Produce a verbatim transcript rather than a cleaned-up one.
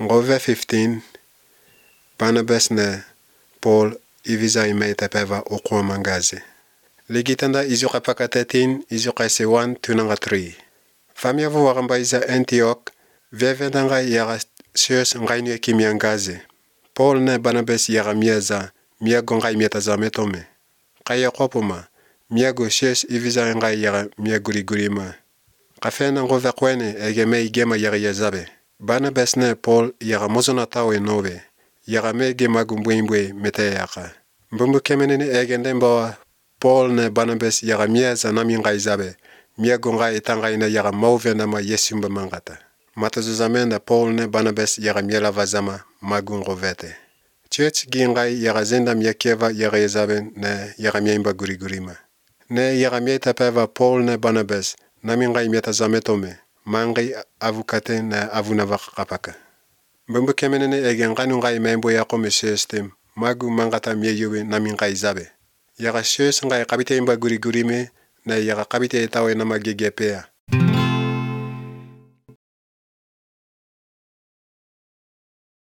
Ngove fifteen, Barnabas ne Paul iviza imeita peva okwa mangazi. Ligitanda izuka pakatetin izuka sewan tunanga three. Famia vu wakamba iza Antioch, vevendanga yaga sius ngainu kimiangazi. Paul ne Barnabas yaga miaza, miago ngai miataza metome. Kaya kopuma, miago sius iviza ngai yaga miaguri gurima. Kafena ngove kwene egeme igema yaga yazabe. Barnabas ne Paul yaga mozona tawe nowe, yaga mege magumbwimbwe meteyaka. Mbumbu kemenene egendemba Paul ne Barnabas yaga miaza nami ngai zabe, miago ngai itangaina yaga mauvena ma yesumba mangata. Matazuzamenda Paul ne Barnabas yaga miela vazama magungo vete. Church gi ngai yaga zenda miakeva yaga yazabe ne yaga miaimba gurigurima. Ne yaga mieta peva Paul ne Barnabas nami ngai mieta zametome, mangai avukate ne avunavaka kapaka. Mbumbu kemenene egen nganu ngai membo yako mesestem, magu mangata mieyuwe nami ngai zabe. Yaga shes ngai kabite imba gurigurime, na yaga kabite itawe na magigepea.